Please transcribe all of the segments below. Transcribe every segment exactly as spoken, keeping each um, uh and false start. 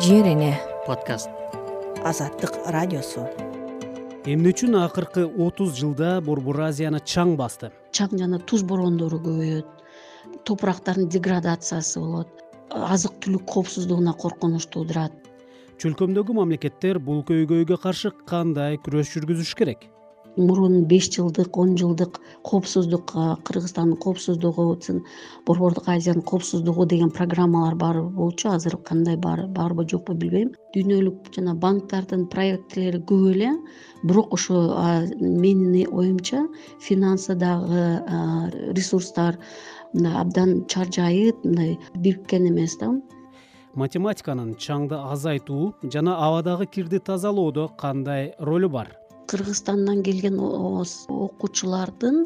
Жер эне подкаст. Азаттык радиосу. Эмне үчүн акыркы отуз жылда Борбор Азияны чаң басты? Чаң жана туз бороондору көбөйөт. Топурактардын деградациясы болот. Азык-түлүк коопсуздугуна коркунуч туудурат. Чөлкөмдөгү мамлекеттер бул көйгөйгө каршы кандай күрөш жүргүзүш керек? Мурун беш жылдык, он жылдык коопсуздук, Кыргызстандын коопсуздугу, Борбордук Азиянын коопсуздугу деген программалар бар болчу. Азыр кандай бар, барбы жокпу билбейм. Дүйнөлүк жана банктардын проекттери көп эле, бирок ошо менин оюмча финансы дагы, ресурстар абдан чаржайып, мындай бириккен эмес да. Математиканын чаңды азайтуу жана абадагы кирди тазалоодо кандай ролу бар? Кыргызстандан келген окуучулардын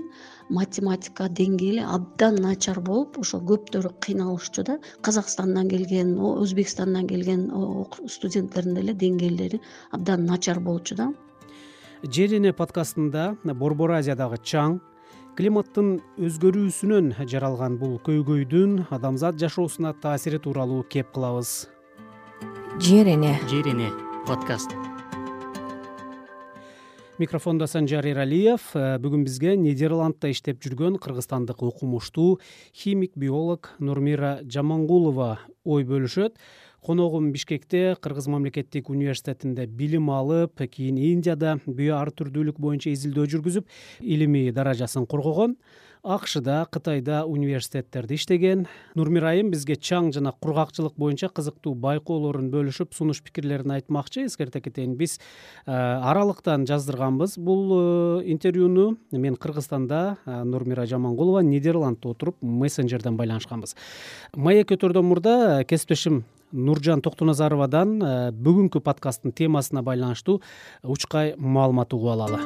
математика деңгээли абдан начар болуп, ошо көптөрү кыйналышчу да. Казакстандан келген, Өзбекстандан келген студенттердин деле деңгээлдери абдан начар болчу да. Жер эне подкастында Борбор Азиядагы чаң, климаттын өзгөрүүсүнөн жаралган бул көйгөйдүн адамзат жашоосуна таасири тууралуу кеп кылабыз. Жер эне Жер эне подкаст. Микрофондо Санжар Эралиев. Бүгүн бизге Нидерландта иштеп жүргөн кыргызстандык окумуштуу химик биолог Нурмира Жамангулова ой бөлүшөт. Коногум Бишкекте Кыргыз мамлекеттик университетинде билим алып, кийин Индияда био ар түрдүүлүк боюнча изилдөө жүргүзүп, илимий даражасын коргогон. АКШда, Кытайда университеттерде иштеген. Нурмира айым бизге чаң жана кургакчылык боюнча кызыктуу байкоолорун бөлүшүп, сунуш пикирлерин айтмакчы. Эскерте кетейин, биз аралыктан жаздырганбыз бул интервьюну. Мен Кыргызстанда, Нурмира Жамангулова Нидерландта отуруп мессенджерден байланышканбыз. Маек өтөрдөн мурда кесиптешим Нуржан Токтоназаровадан бүгүнкү подкасттын темасына байланыштуу учкай маалымат угуп алалы.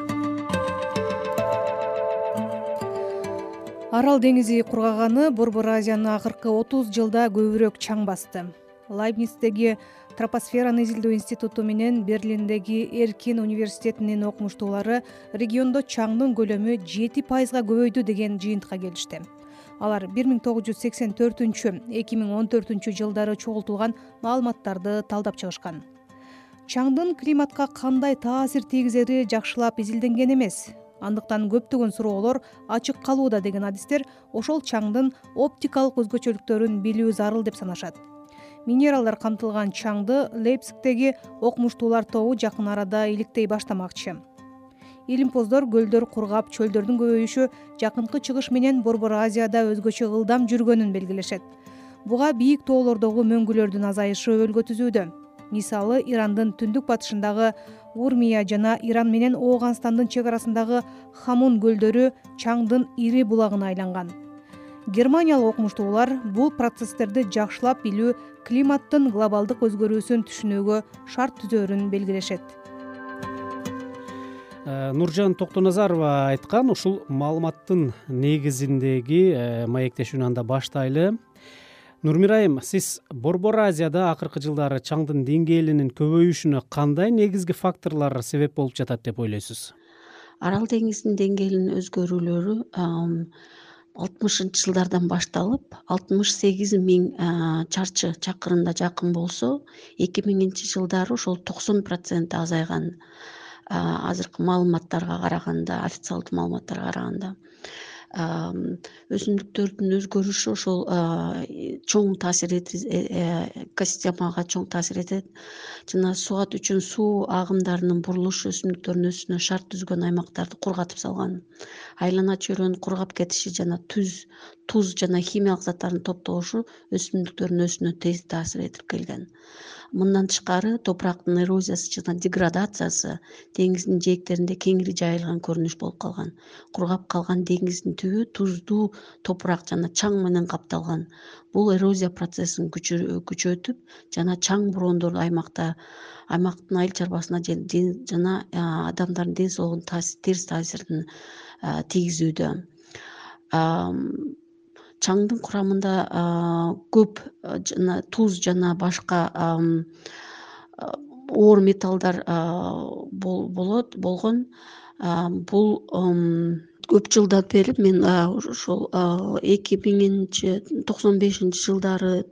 Арал деңизи кургаганы Борбор Азияны акыркы отуз жылда көбүрөөк чаң басты. Лайбництеги Тропосфераны изилдөө институту менен Берлиндеги Эркин университетинин окумуштуулары региондо чаңдын көлөмү жети пайызга көбөйдү деген жыйынтыкка келишти. Алар бир миң тогуз жүз сексен төртүнчү — эки миң он төртүнчү жылдары чогултулган маалыматтарды талдап чыгышкан. Чаңдын климатка кандай таасир тийгизери жакшылап изилденген эмес. Андыктан көптөгөн суроолор ачык калууда деген адистер ошол чаңдын оптикалык өзгөчөлүктөрүн билүү зарыл деп санашат. Минералдар камтылган чаңды Лейпцигтеги окумуштуулар тобу жакын арада иликтей баштамакчы. Илимпоздор көлдөр кургап, чөлдөрдүн көбөйүшү жакынкы чыгыш менен Борбор Азияда өзгөчө ылдам жүргөнүн белгилешет. Буга бийик тоолордогу мөңгүлөрдүн азайышы өбөлгө түзүүдө. Мисалы, Ирандын түндүк батышындагы Урмия жана Иран менен Ооганстандын чек арасындагы Хамун көлдөрү чаңдын ири булагына айланган. Германиялык окумуштуулар бул процесстерди жакшылап билүү климаттын глобалдык өзгөрүүсүн түшүнүүгө шарт түзөрүн белгилешет. Нуржан Токтоназарова айткан ушул маалыматтын негизиндеги маектешүүнү анда баштайлы. Нурмира айым, сиз Борбор Азияда акыркы жылдары чаңдын деңгээлинин көбөйүшүнө кандай негизги факторлор себеп болуп жатат деп ойлойсуз? Арал деңизинин деңгээлинин өзгөрүүлөрү алтымышынчы жылдардан башталып, алтымыш сегиз миң чарчы чакырымга жакын болсо, эки миңинчи жылдары ошол токсон процент азайган. Азыркы маалыматтарга караганда, официалдуу маалыматтарга караганда, өсүмдүктөрдүн өзгөрүшү ошол чоң таасир этет, экосистемага чоң таасир этет. Жана суат үчүн суу агымдарынын бурулушу өсүмдүктөрдүн өсүүсүнө шарт түзгөн аймактарды кургатып салган. Айлана чөйрөнүн кургап кетиши жана туз туз жана химиялык заттардын топтолушу өсүмдүктөрдүн өсүүсүнө тез таасир этип келген. Мындан тышкары, топурактын эрозиясы жана деградациясы деңиздин жээктеринде кеңири жайылган көрүнүш болуп калган. Кургап калган деңиздин түбү туздуу топурак жана чаң менен капталган. Бул эрозия процессин күчөтүп жана чаң бороондорду аймакта аймактын айыл чарбасына жана адамдардын ден соолугуна терс таасирин тийгизүүдө. Чаңдын курамында көп жана туз жана башка оор металлдар болот болгон. Бул көп жылдан бери мен ошол эки миңинчи токсон бешинчи жылдары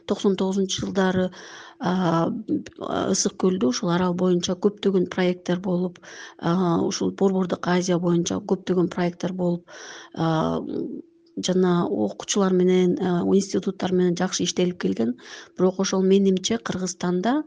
токсон тогузунчу жылдары ысык көлдө ушул арал боюнча көптөгөн проекттер болуп, ушул Борбордук Азия боюнча көптөгөн проекттер болуп, жана окуучулар менен, институттар менен жакшы иштелип келген. Бирок ошол менимче Кыргызстанда,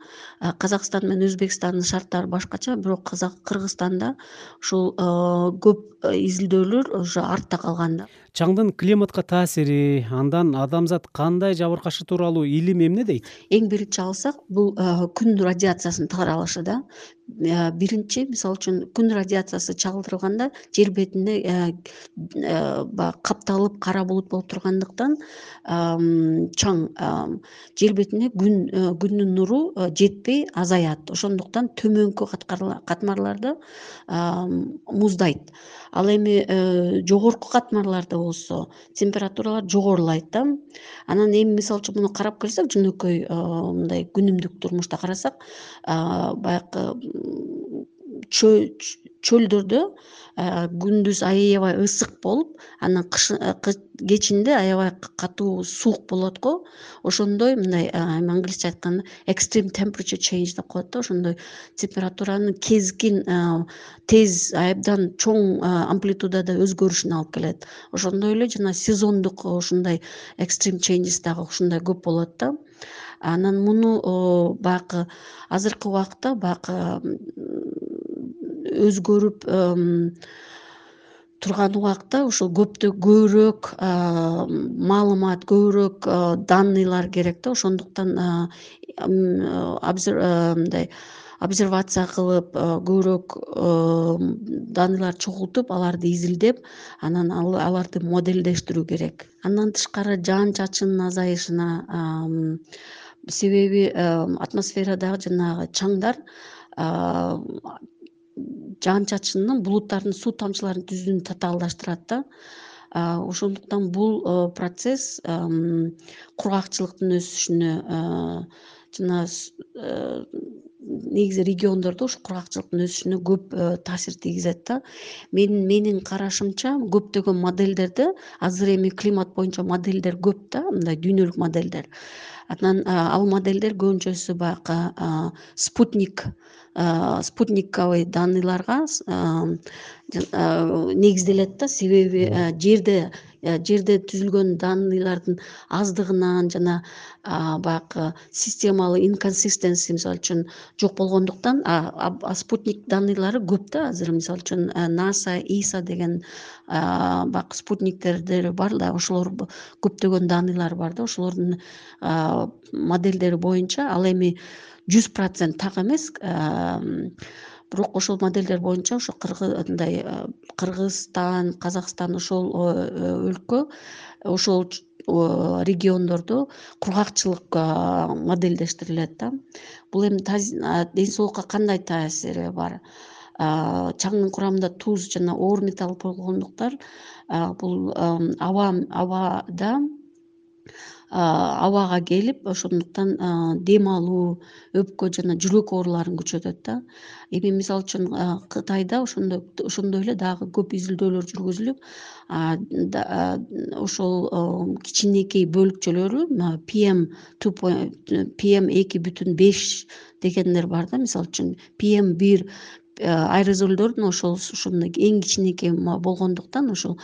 Казакстан менен Өзбекстандын шарттары башкача, бирок Кыргызстанда ушул көп изилдөөлөр уже артта калган да. Чаңдын климатка таасири, андан адамзат кандай жабыркашы тууралуу илим эмне дейт? Эң биринчи алсак, бул күн радиациясынын таралышы да. Биринчи, мисалы үчүн, күн радиациясы чагылдырылганда жер бетине баягы капталып кара булут болуп тургандыктан чаң жер бетине күн күндүн нуру жетпей азаят. Ошондуктан төмөнкү катмарларда муздайт. Ал эми жогорку катмарларда болсо температуралар жогорулайт да. Анан эми мисалы үчүн муну карап келсек, жөнөкөй мындай күнүмдүк турмушта карасак, баягы чөлдөрдө күндүз аябай ысык болуп, анан кечинде аябай катуу суук болот го. Ошондой мындай англисче айтканда extreme temperature change деп коет да. Ошондой температуранын кезкин, тез, абдан чоң амплитудада өзгөрүшүнө алып келет. Ошондой эле жана сезондук ушундай extreme changes дагы ушундай көп болот да. Анан муну баягы азыркы убакытта баягы өзгөрүп турган убакта ушул көптө көбүрөөк маалымат, көбүрөөк данныйлар керек да. Ошондуктан мындай обсервация кылып, көбүрөөк данныйлар чогултуп, аларды изилдеп, анан аларды моделдештирүү керек. Андан тышкары жаан чачынын азайышына, себеби атмосферадагы жанагы чаңдар жаан чачынын, булуттардын суу тамчыларынын түзүлүүнү татаалдаштырат да. Ошондуктан бул процесс кургакчылыктын өсүшүнө жана негизи региондордо ушу кургакчылыктын өсүшүнө көп таасир тийгизет да. Мен менин карашымча, көптөгөн модельдерде азыр эми климат боюнча модельдер көп да, мындай дүйнөлүк модельдер. Анан ал модельдер көбүнчөсү баягы спутник спутниковый данныйларга негизделет да. Себеби жерде жерде түзүлгөн данныйлардын аздыгынан жана баягы системалуу инконсистенси, мисалы үчүн, жок болгондуктан, спутник данныйлары көп да. Азыр мисалы үчүн NASA, иса деген баягы спутниктердер бар да, ошолор көптөгөн данныйлар бар да. Ошолордун модельдери боюнча ал эми жүз процент так эмес, бирок ошол модельдер боюнча ошо мындай Кыргызстан, Казакстан ошол өлкө, ошол региондордо кургакчылык модельдештирилет да. Бул эми ден соолукка кандай таасири бар? Чаңдын курамында туз жана оор металл болгондуктан, бул аба абада абага келип, ошондуктан дем алуу, өпкө жана жүрөк ооруларын күчөтөт да. Эми мисалы үчүн Кытайда ошондой ошондой эле дагы көп изилдөөлөр жүргүзүлүп, ошол кичинекей бөлүкчөлөрү пи эм пи эм эки бүтүн беш дегендер бар да. Мисалы үчүн пи эм бир аэрозолдордун ошол ушундай эң кичинекей болгондуктан, ошол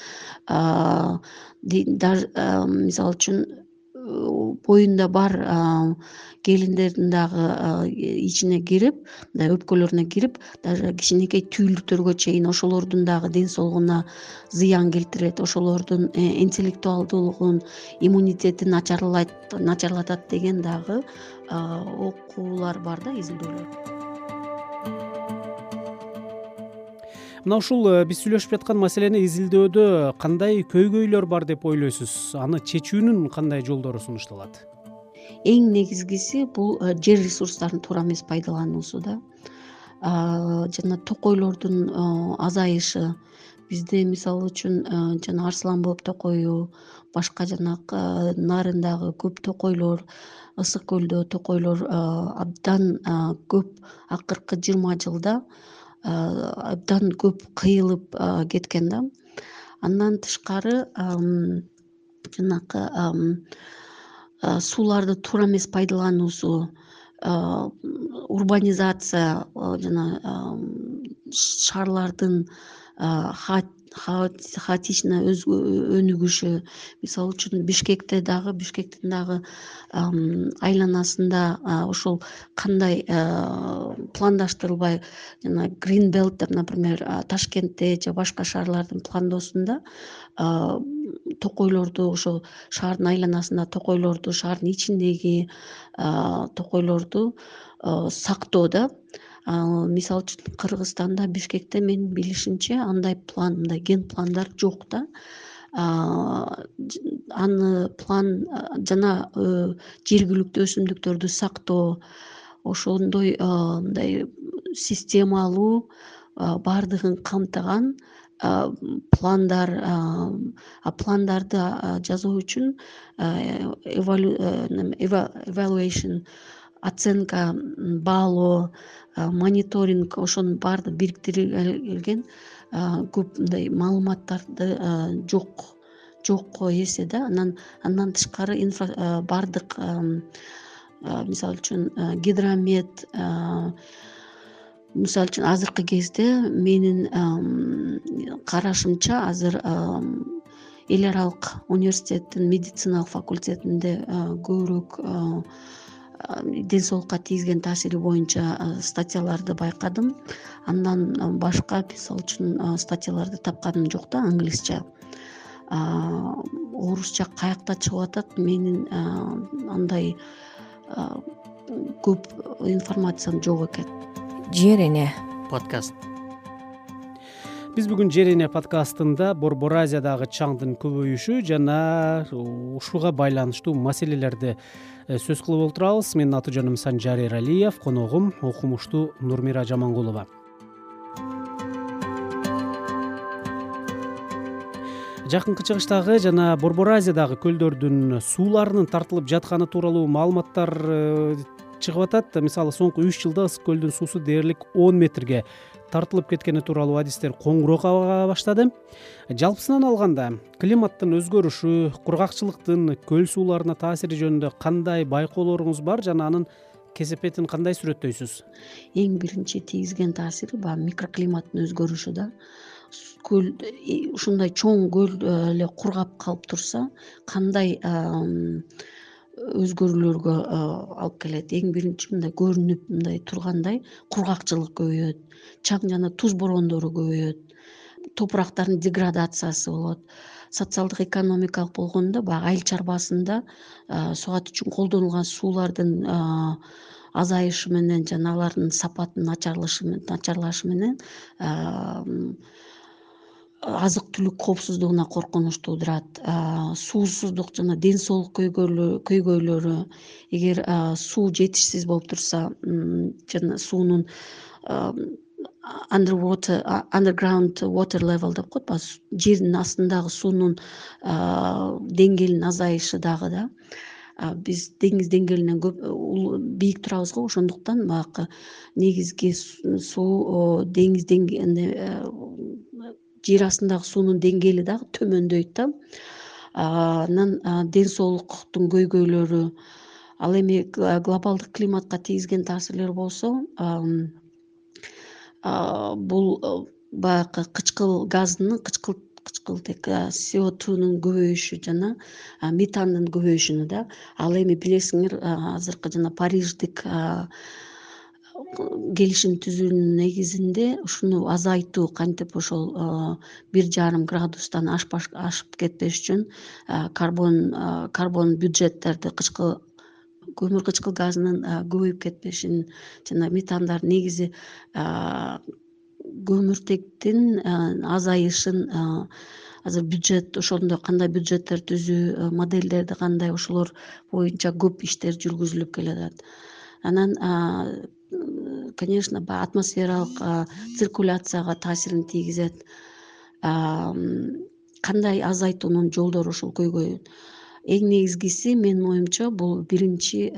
мисалы үчүн боюнда бар келиндердин дагы ичине кирип, мындай өпкөлөрүнө кирип, даже кичинекей түйүлдүктөргө чейин ошолордун дагы ден соолугуна зыян келтирет, ошолордун интеллектуалдуулугун, иммунитетин начарлатат деген дагы окуулар бар да, изилдөөлөр. Мына ушул биз сүйлөшүп жаткан маселени изилдөөдө кандай көйгөйлөр бар деп ойлойсуз? Аны чечүүнүн кандай жолдору сунушталат? Эң негизгиси бул жер ресурстарын туура эмес пайдалануусу да. Жана токойлордун азайышы. Бизде мисалы үчүн жана Арслан боб токою, башка жанагы нарындагы көп токойлор, Ысык көлдө токойлор абдан көп, акыркы жыйырма жылда абдан көп кыйылып кеткен да. Андан тышкары жанакы сууларды туура эмес пайдалануусу, урбанизация, жана шаарлардын хаотично өнүгүшү. Мисалы үчүн Бишкекте дагы Бишкектин дагы айланасында ошол кандай пландаштырылбай, жана Green Belt деп, например, Ташкентте же башка шаарлардын пландоосунда токойлорду, ошол шаардын айланасында токойлорду, шаардын ичиндеги токойлорду сактоо да. Мисалы үчүн Кыргызстанда, Бишкекте менин билишимче андай план, мындай ген пландар жок да. Аны план жана жергиликтүү өсүмдүктөрдү сактоо, ошондой мындай системалуу баардыгын камтыган пландар, пландарды жасоо үчүн evaluation, оценка, баалоо, мониторинг, ошонун баардыгы бириктирилген көп мындай маалыматтарды жок жок эсе да. Анан андан тышкары баардык, мисалы үчүн Гидромет, мисалы үчүн азыркы кезде менин карашымча азыр эл аралык университеттин медициналык факультетинде көбүрөөк ден соолукка тийгизген таасири боюнча статьяларды байкадым. Андан башка, мисалы үчүн, статьяларды тапканым жок да, англисче. Орусча каякта чыгып атат, менин андай көп информациям жок экен. Жер эне подкаст. Биз бүгүн Жер эне подкастында Борбор Азиядагы чаңдын көбөйүшү жана ушуга байланыштуу маселелерди сөз кылып отурабыз. Менин аты жөнүм Санжар Эралиев, коногум окумуштуу Нурмира Жамангулова. Жакынкы чыгыштагы жана Борбор Азиядагы көлдөрдүн сууларынын тартылып жатканы тууралуу маалыматтар чыгып атат. Мисалы, соңку үч жылда ысык көлдүн суусу дээрлик он метрге тартылып кеткени тууралуу адистер коңуроок ага баштады. Жалпысынан алганда, климаттын өзгөрүшү, кургакчылыктын көл сууларына таасири жөнүндө кандай байкоолоруңуз бар жана анын кесепетин кандай сүрөттөйсүз? Эң биринчи тийгизген таасири баягы микроклиматтын өзгөрүшү да. Көл ушундай чоң көл эле кургап калып турса, кандай өзгөрүүлөргө алып келет? Эң биринчи мындай көрүнүп мындай тургандай кургакчылык көбөйөт, чаң жана туз бороондору көбөйөт, топурактардын деградациясы болот. Социалдык экономикалык болгондо баягы айыл чарбасында сугат үчүн колдонулган суулардын азайышы менен жана алардын сапатынын начарлашы менен азык түлүк коопсуздугуна коркунуч туудурат. Суусуздук жана ден соолук көйгөйлөрү, эгер суу жетишсиз болуп турса, жана суунун underwater underground water level деп коет, баягы жердин астындагы суунун деңгээлинин азайышы дагы да. Биз деңиз деңгээлинен көп бийик турабыз го, ошондуктан баягы негизги суу деңиз деңгээлинде, жер астындагы суунун деңгээли дагы төмөндөйт да. Анан ден соолуктун көйгөйлөрү, ал эми глобалдык климатка тийгизген таасирлер болсо, бул баягы кычкыл газынын кычкыл кычкылтек си о двунун көбөйүшү жана метандын көбөйүшүнө да. Ал эми билесиңер, азыркы жана Париждик келишим түзүүнүн негизинде ушуну азайтуу, кантип ошол бир жарым градустан ашып кетпеш үчүн карбон карбон бюджеттерди, кычкыл көмүр кычкыл газынын көбөйүп кетпешин жана метандардын негизи көмүртектин азайышын азыр бюджет, ошондо кандай бюджеттер түзүү, модельдерди кандай, ошолор боюнча көп иштер жүргүзүлүп келатат. Анан конечно, атмосфералык циркуляцияга таасирин тийгизет. Кандай азайтуунун жолдору ушул көйгөй. Эң негизгиси менин оюмча бул биринчи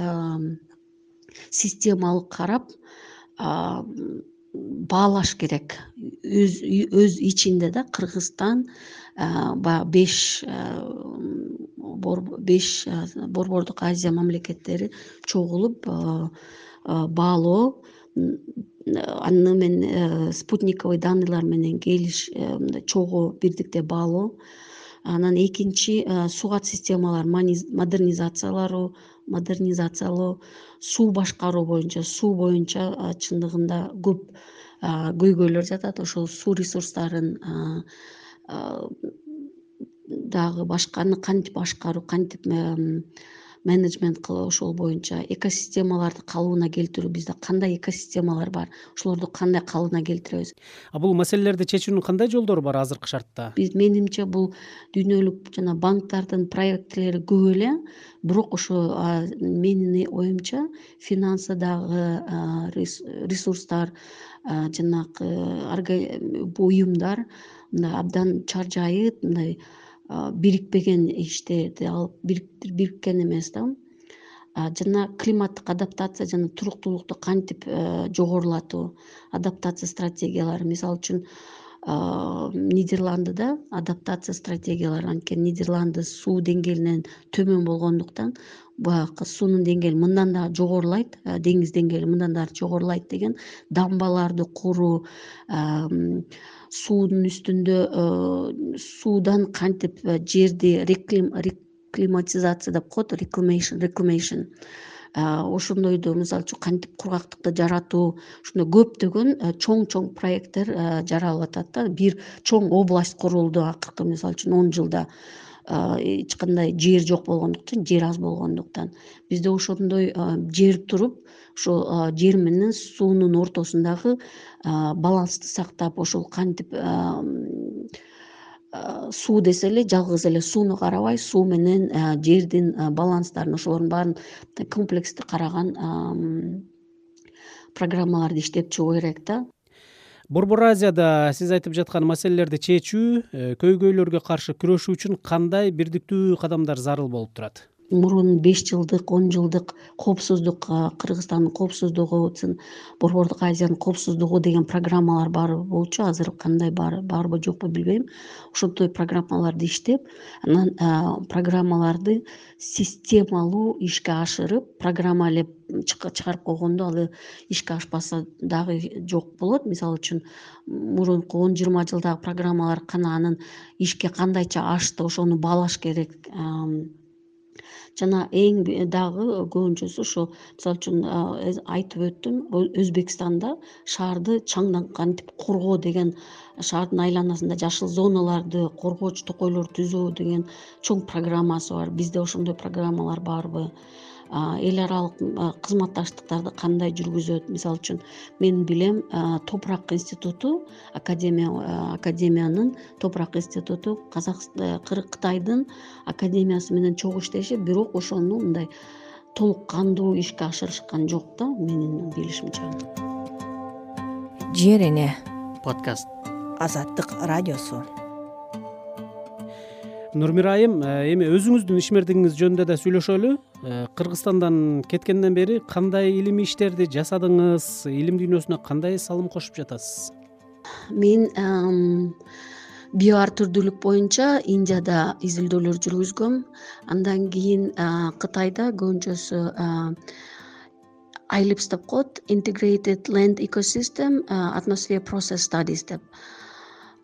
системалык карап, баалаш керек. Өз өз ичинде да Кыргызстан баягы беш беш Борбордук Азия мамлекеттери чогулуп баалоо, аны менен спутниковый данныйлар менен келиш, мындай чогуу бирдикте баалоо. Анан экинчи суугат системаларын модернизациялоо, модернизациялоо, суу башкаруу боюнча, суу боюнча чындыгында көп көйгөйлөр жатат. Ошол суу ресурстарын дагы башканы кантип башкаруу, кантип менеджмент кылуу, ошол боюнча экосистемаларды калыбына келтирүү. Бизде кандай экосистемалар бар, ошолорду кандай калыбына келтиребиз? А бул маселелерди чечүүнүн кандай жолдору бар азыркы шартта? Биз менимче бул дүйнөлүк жана банктардын проекттери көп эле, бирок ошо менин оюмча финансыдагы ресурстар, жанагы буюмдар мындай абдан чаржайып, мындай бирикпеген иштерди алып бириккен эмес да. Жана климаттык адаптация жана туруктуулукту кантип жогорулатуу, адаптация стратегиялары. Мисалы үчүн Нидерландыда адаптация стратегиялары, анткени Нидерланды суу деңгээлинен төмөн болгондуктан баягы суунун деңгээли мындан дагы жогорулайт, деңиз деңгээли мындан дагы жогорулайт деген дамбаларды куруу, суунун үстүндө суудан кантип жерди реклиматизация деп коет, reclamation, ошондойду мисалы үчүн кантип кургактыкты жаратуу, ушундай көптөгөн чоң-чоң проекттер жаралып атат да. Бир чоң область курулду акыркы мисалы үчүн он жылда. Эч кандай жер жок болгондуктан, жер аз болгондуктан бизде ошондой жер туруп, ошол жер менен суунун ортосундагы балансты сактап, ошол кантип суу десе эле жалгыз эле сууну карабай, суу менен жердин баланстарын, ошолордун баарын комплекстүү караган программаларды иштеп чыгуу керек да. Борбор Азияда сиз айтып жаткан маселелерди чечүү, көйгөйлөргө каршы күрөшүү үчүн кандай бирдиктүү кадамдар зарыл болуп турат? Мурун беш жылдык, он жылдык коопсуздук, Кыргызстандын коопсуздугу, Борбордук Азиянын коопсуздугу деген программалар бар болчу. Азыр кандай барбы жокпу билбейм. Ошондой программаларды иштеп, анан программаларды системалуу ишке ашырып, программа эле чыгарып койгондо ал ишке ашпаса дагы жок болот. Мисалы үчүн мурунку он жыйырма жылдагы программалар кана анын ишке кандайча ашты, ошону баалаш керек. Жана эң дагы көбүнчөсү ошо мисалы үчүн айтып өттүм, Өзбекстанда шаарды чаңдан кантип коргоо деген, шаардын айланасында жашыл зоналарды, коргооч токойлор түзүү деген чоң программасы бар. Бизде ошондой программалар барбы? Эл аралык кызматташтыктарды кандай жүргүзөт? Мисалы үчүн мен билем, Топурак институту, академия академиянын Топурак институту Кытайдын академиясы менен чогуу иштешет, бирок ошону мындай толук кандуу ишке ашырышкан жок да, менин билишимче. Жер эне подкаст. Азаттык радиосу. Нурмира айым, эми өзүңүздүн ишмердигиңиз жөнүндө да сүйлөшөлү. Кыргызстандан кеткенден бери кандай илимий иштерди жасадыңыз? Илим дүйнөсүнө кандай салым кошуп жатасыз? Мен биоар түрдүүлүк боюнча Индияда изилдөөлөр жүргүзгөм. Андан кийин Кытайда көбүнчөсү I L I P S деп коет, Integrated Land Ecosystem Atmosphere Process Studies деп.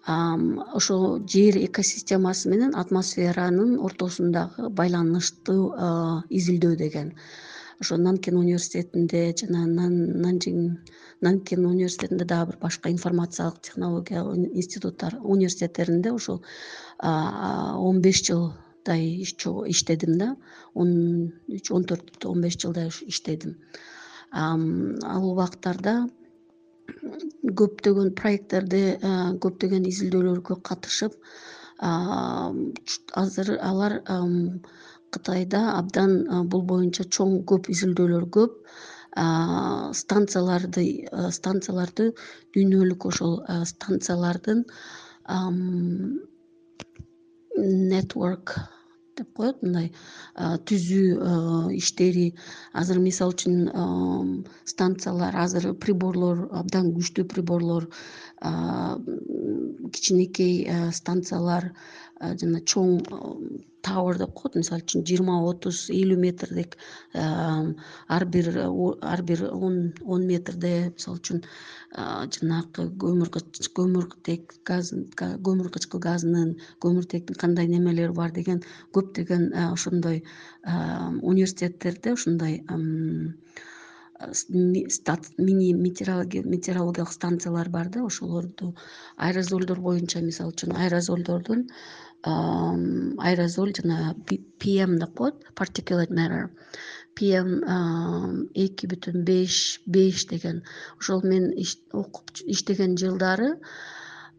Ошо жер экосистемасы менен атмосферанын ортосундагы байланыштуу изилдөө деген. Ошо Нанкин университетинде жана Нанжин Нанкин университетинде дагы бир башка информациялык технология институттар, университеттеринде ошо он беш жылдай иштедим да. он үч он төрт он беш жылдай иштедим. Ал убактарда көптөгөн проекттерди, көптөгөн изилдөөлөргө катышып, азыр алар Кытайда абдан бул боюнча чоң көп изилдөөлөр көп, станцияларды станцияларды дүйнөлүк ошол станциялардын network деп коет, мындай түзүү иштери. Азыр мисалы үчүн станциялар, азыр приборлор, абдан күчтүү приборлор, кичинекей станциялар, жана чоң tower деп коет, мисалы үчүн жыйырма отуз элүү метрдик, ар бир ар бир он метрде мисалы үчүн жанагы көмүртек газ, көмүркычкыл газынын, көмүртектин кандай немелери бар деген көптөгөн ошондой университеттерде ошондой мини метеорологиялык станциялар бар да. Ошолорду аэрозолдор боюнча, мисалы үчүн аэрозолдордун аэрозоль жана пи эм деп коет, particulate matter, пи эм эки бүтүн беш беш деген. Ошол мен окуп иштеген жылдары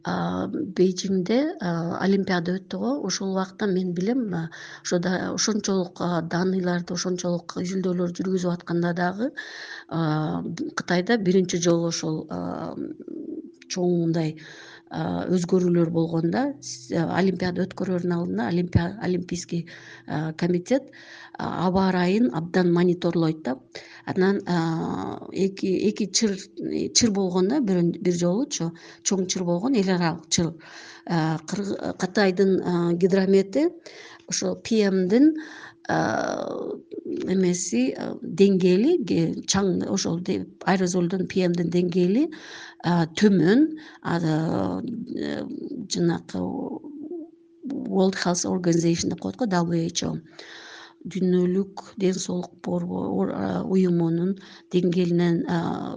Бейжиңде олимпиада өттү го. Ошол убакта мен билем, ошода ошончолук данныйларды, ошончолук изилдөөлөр жүргүзүп атканда дагы Кытайда биринчи жолу ошол чоң мындай өзгөрүүлөр болгондо, олимпиада өткөрөрдүн алдында олимпийский комитет аба ырайын абдан мониторлойт да. Анан эки эки чыр чыр болгон да, бир жолучу чоң чыр болгон, эл аралык чыр. Кытайдын гидромети ошо пи эмдин эмеси деңгээли, чаң, ошол аэрозолдун пи эмдин деңгээли төмөн. Жанагы World Health Organization деп коет го, дабл ю эйч о, дүйнөлүк ден соолук уюмунун деңгээлинен,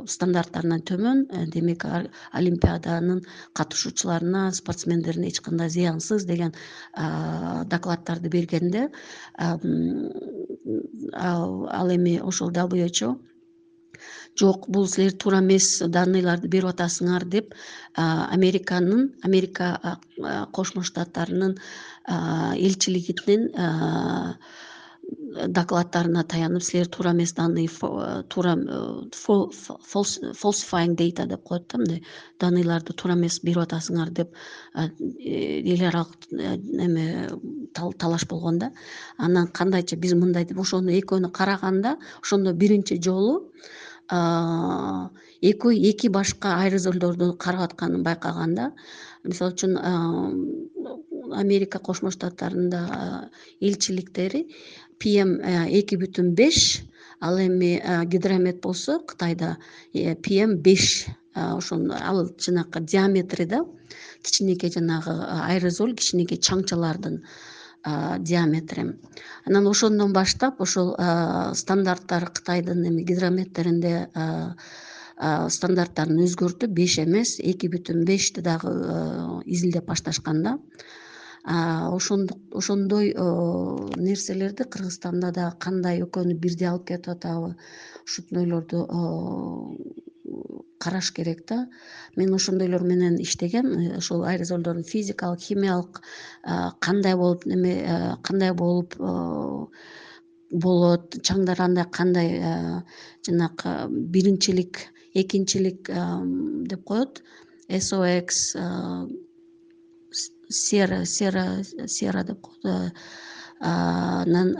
стандарттарынан төмөн. Демек олимпиаданын катышуучуларына, спортсмендерине эч кандай зыянсыз деген докладдарды бергенде, ал эми ошол дабл ю эйч о жок, бул силер туура эмес данныйларды берип атасыңар деп Американын, Америка Кошмо Штаттарынын элчилигинин докладдарына таянып, силер туура эмес данный, туура falsifying data деп коет да, мындай данныйларды туура эмес берип атасыңар деп эл аралык эме талаш болгон да. Анан кандайча биз мындай деп ошону экөөнү караганда, ошондо биринчи жолу экөө эки башка аэрозолдорду карап атканын байкаганда, мисалы үчүн Америка Кошмо Штаттарында элчиликтери пи эм эки бүтүн беш, ал эми гидромет болсо Кытайда пи эм беш, ошону ал жанагы диаметри да, кичинекей жанагы аэрозоль, кичинекей чаңчалардын диаметри. Анан ошондон баштап ошол стандарттар Кытайдын эми гидрометтеринде стандарттарын өзгөртүп, беш эмес эки бүтүн бешти дагы изилдеп башташканда, ошондой нерселерди Кыргызстанда да кандай экөөнү бирдей алып кетип атабы, ушундойлорду караш керек да. Мен ошондойлор менен иштегем. Ошол аэрозолдордун физикалык, химиялык кандай болуп неме кандай болуп болот, чаңдар андай кандай жанагы биринчилик, экинчилик деп коет, эс о экс, сера сера сера деп коет, анан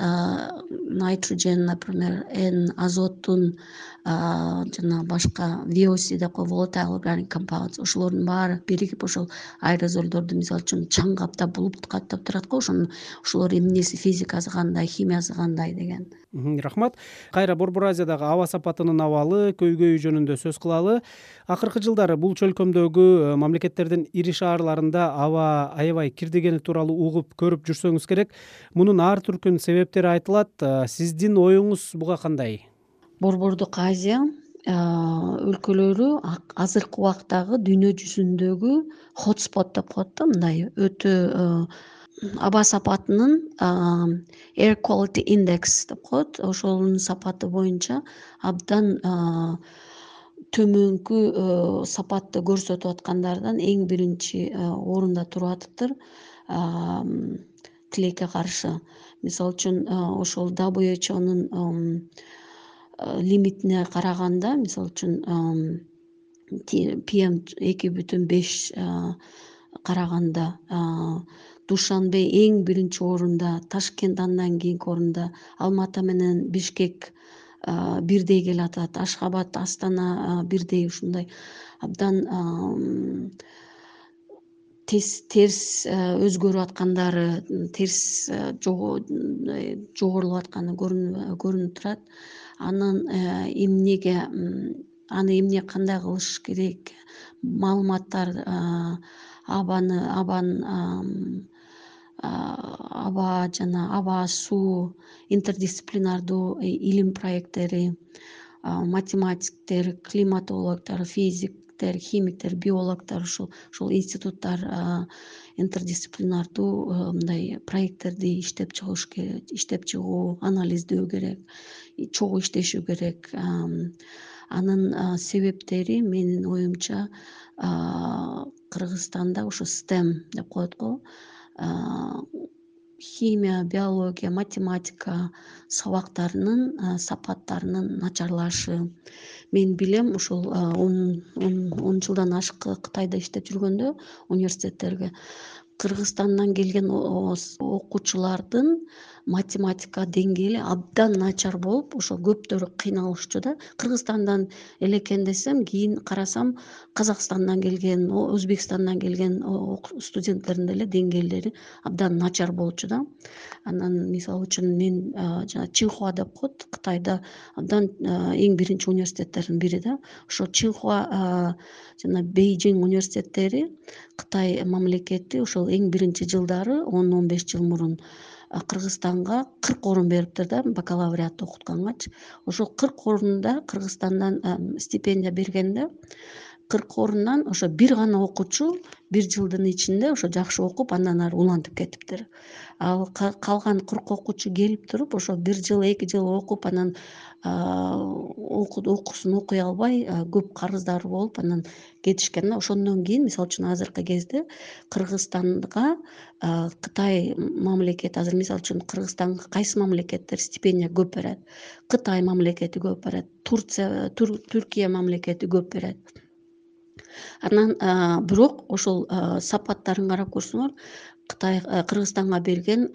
найтроген, например, N, азоттун жана башка ви о си деп коет, volatile organic compounds, ошолордун баары биригип ошол аэрозолдорду мисалы үчүн чаң каптап, булут каптап турат го. Ошону ошолор эмнеси, физикасы кандай, химиясы кандай деген. Рахмат. Кайра Борбор Азиядагы аба сапатынын абалы, көйгөйү жөнүндө сөз кылалы. Акыркы жылдары бул чөлкөмдөгү мамлекеттердин ири шаарларында аба аябай кирдигени тууралуу угуп, көрүп жүрсөңүз керек. Мунун ар түркүн себептери айтылат. Сиздин оюңуз буга кандай? Борбордук Азия өлкөлөрү азыркы убактагы дүйнө жүзүндөгү хотспот деп коет да, мындай өтө аба сапатынын air quality index деп коет, ошонун сапаты боюнча абдан төмөнкү сапатты көрсөтүп аткандардан эң биринчи орунда туруп атыптыр тилекке каршы. Мисалы үчүн ошол дабл ю эйч о'нун лимитине караганда, мисалы үчүн пи эм эки бүтүн беш караганда Душанбе эң биринчи орунда, Ташкент андан кийинки орунда, Алматы менен Бишкек бирдей келатат, Ашхабад, Астана бирдей ушундай абдан терс өзгөрүп аткандары, терс жогорулуп атканы көрүнүп турат. Анын эмнеге аны эмне кандай кылыш керек, маалыматтар абаны абаны аба жана аба суу интердисциплинардуу илим проекттери, математиктер, климатологдор, физиктер, химиктер, биологдор ушул ушул институттар интердисциплинардуу мындай проекттерди иштеп чыгыш керек, иштеп чыгуу, анализдөө керек, чогуу иштешүү керек. Анын себептери менин оюмча Кыргызстанда ушу стем деп коет го, химия, биология, математика сабактарынын сапаттарынын начарлашы. Мен билем ушул он жылдан ашык Кытайда иштеп жүргөндө университеттерге Кыргызстандан келген окуучулардын математика деңгээли абдан начар болуп, ошо көптөрү кыйналышчу да. Кыргызстандан эле экен десем, кийин карасам Казакстандан келген, Өзбекстандан келген студенттердин деле деңгээлдери абдан начар болчу да. Анан мисалы үчүн мен жана Чинхуа деп коет, Кытайда абдан эң биринчи университеттердин бири да. Ошо Чинхуа жана Бейжиң университеттери Кытай мамлекети ошол эң биринчи жылдары он он беш жыл мурун Кыргызстанга кырк орун бериптир да, бакалавриатты окуткангачы. Ошол кырк орунда Кыргызстандан стипендия бергенде кырк орундан ошо бир гана окуучу бир жылдын ичинде ошо жакшы окуп, андан ары улантып кетиптир. Ал калган кырк окуучу келип туруп, ошо бир жыл, эки жыл окуп, анан окуусун окуй албай көп карыздары болуп, анан кетишкен да. Ошондон кийин мисалы үчүн азыркы кезде Кыргызстанга Кытай мамлекети, азыр мисалы үчүн Кыргызстанга кайсы мамлекеттер стипендия көп берет? Кытай мамлекети көп берет, Турция, Түркия мамлекети көп берет. Анан бирок ошол сапаттарын карап көрсөңөр, Кытай Кыргызстанга берген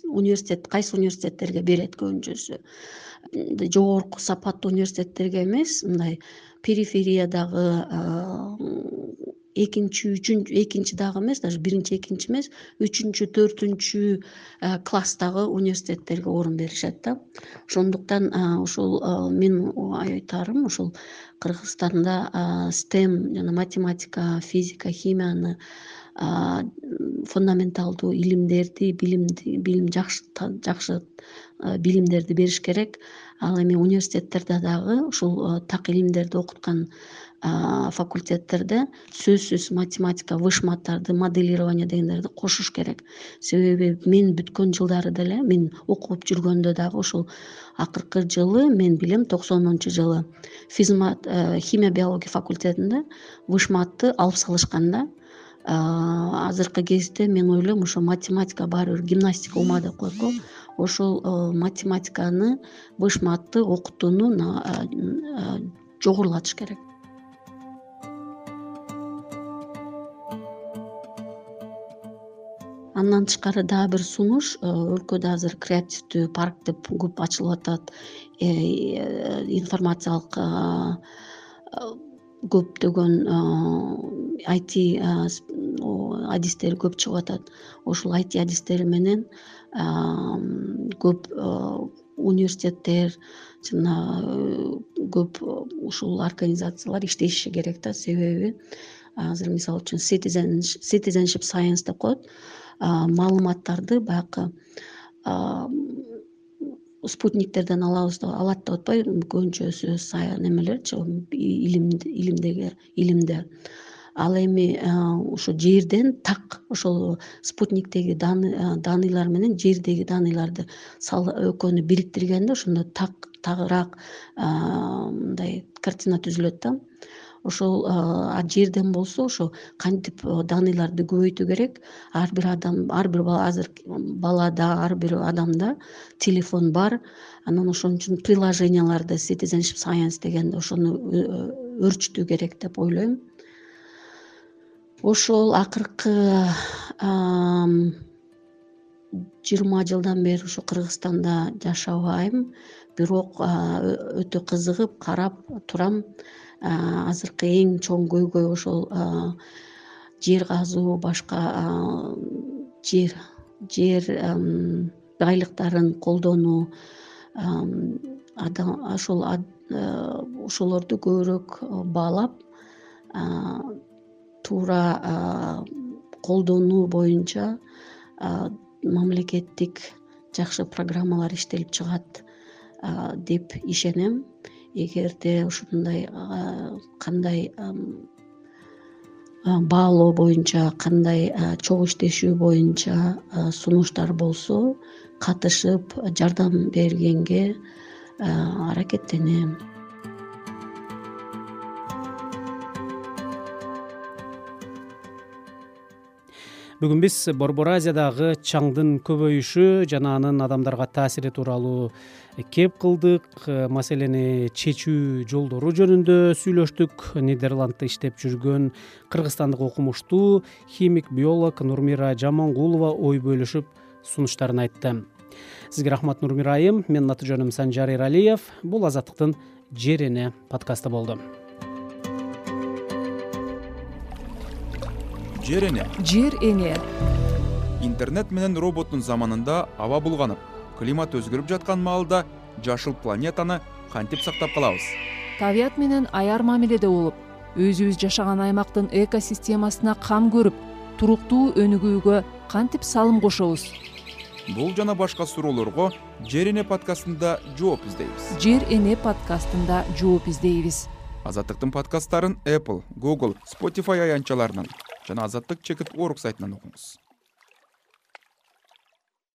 университет кайсы университеттерге берет көбүнчөсү? Жогорку сапаттуу университеттерге эмес, мындай перифериядагы экинчи, үчүнчү, экинчи дагы эмес, даже биринчи, экинчи эмес, үчүнчү, төртүнчү класстагы университеттерге орун беришет да. Ошондуктан ушул мен айтарым, ушул Кыргызстанда стем жана математика, физика, химияны фундаменталдуу илимдерди, билимди, билим жакшы жакшы билимдерди бериш керек. Ал эми университеттерде дагы ушул так илимдерди окуткан факультеттерде сөзсүз математика, вышматтарды, моделирование дегендерди кошуш керек. Себеби мен бүткөн жылдары деле, мен окуп жүргөндө дагы ушул акыркы жылы, мен билем токсонунчу жылы физмат, химия биология факультетинде вышматты алып салышкан да. Азыркы кезде мен ойлойм, ошо математика баары бир гимнастика ума деп коет го. Ошол математиканы, вышматты окутууну жогорулатыш керек. Андан тышкары дагы бир сунуш, өлкөдө азыр креативдүү парк деп көп ачылып атат. Информациялык көптөгөн ай ти адистери көп чыгып атат. Ошол ай ти адистери менен көп университеттер жана көп ушул организациялар иштеши керек да. Себеби азыр мисалы үчүн citizenship science деп коет. Маалыматтарды баягы спутниктерден алабыз, алат деп атпайбы, көбүнчөсү немелерчи, илимдеги илимдер. Ал эми ошо жерден так ошол спутниктеги даныйлар менен жердеги даныйларды экөөнү бириктиргенде ошондо так тагыраак мындай картина түзүлөт да. Ошол жерден болсо ошо кантип даныйларды көбөйтүү керек. Ар бир адам, ар бир бала, азыр балада, ар бир адамда телефон бар. Анан ошон үчүн приложенияларды citizenship science дегенде ошону өрчүтүү керек деп ойлойм. ошол акыркы жыйырма жылдан бери ушу Кыргызстанда жашабайм, бирок өтө кызыгып карап турам. Азыркы эң чоң көйгөй ошол жер казуу, башка жер жер байлыктарын колдонуу, ошол ошолорду көбүрөөк баалап, туура колдонуу боюнча мамлекеттик жакшы программалар иштелип чыгат деп ишенем. Эгерде ушундай кандай баалоо боюнча, кандай чогуу иштешүү боюнча сунуштар болсо, катышып жардам бергенге аракеттенем. Бүгүн биз Борбор Азиядагы чаңдын көбөйүшү жана анын адамдарга таасири тууралуу кеп кылдык. Маселени чечүү жолдору жөнүндө сүйлөштүк. Нидерландта иштеп жүргөн кыргызстандык окумуштуу химик биолог Нурмира Жамангулова ой бөлүшүп сунуштарын айтты. Сизге рахмат, Нурмира айым. Менин аты жөнүм Санжар Эралиев. Бул Азаттыктын Жер эне подкасты болду. Жер эне. Жер эне. Интернет менен роботтун заманында аба булганып, климат өзгөрүп жаткан маалда жашыл планетаны кантип сактап калабыз? Табият менен аяр мамиледе болуп, өзүбүз жашаган аймактын экосистемасына кам көрүп, туруктуу өнүгүүгө кантип салым кошобуз? Бул жана башка суроолорго Жер эне подкастында жооп издейбиз. Жер эне подкастында жооп издейбиз. Азаттыктын подкасттарын Apple, Google, Spotify аянтчаларынан жана азаттык чекит орг сайтынан окуңуз.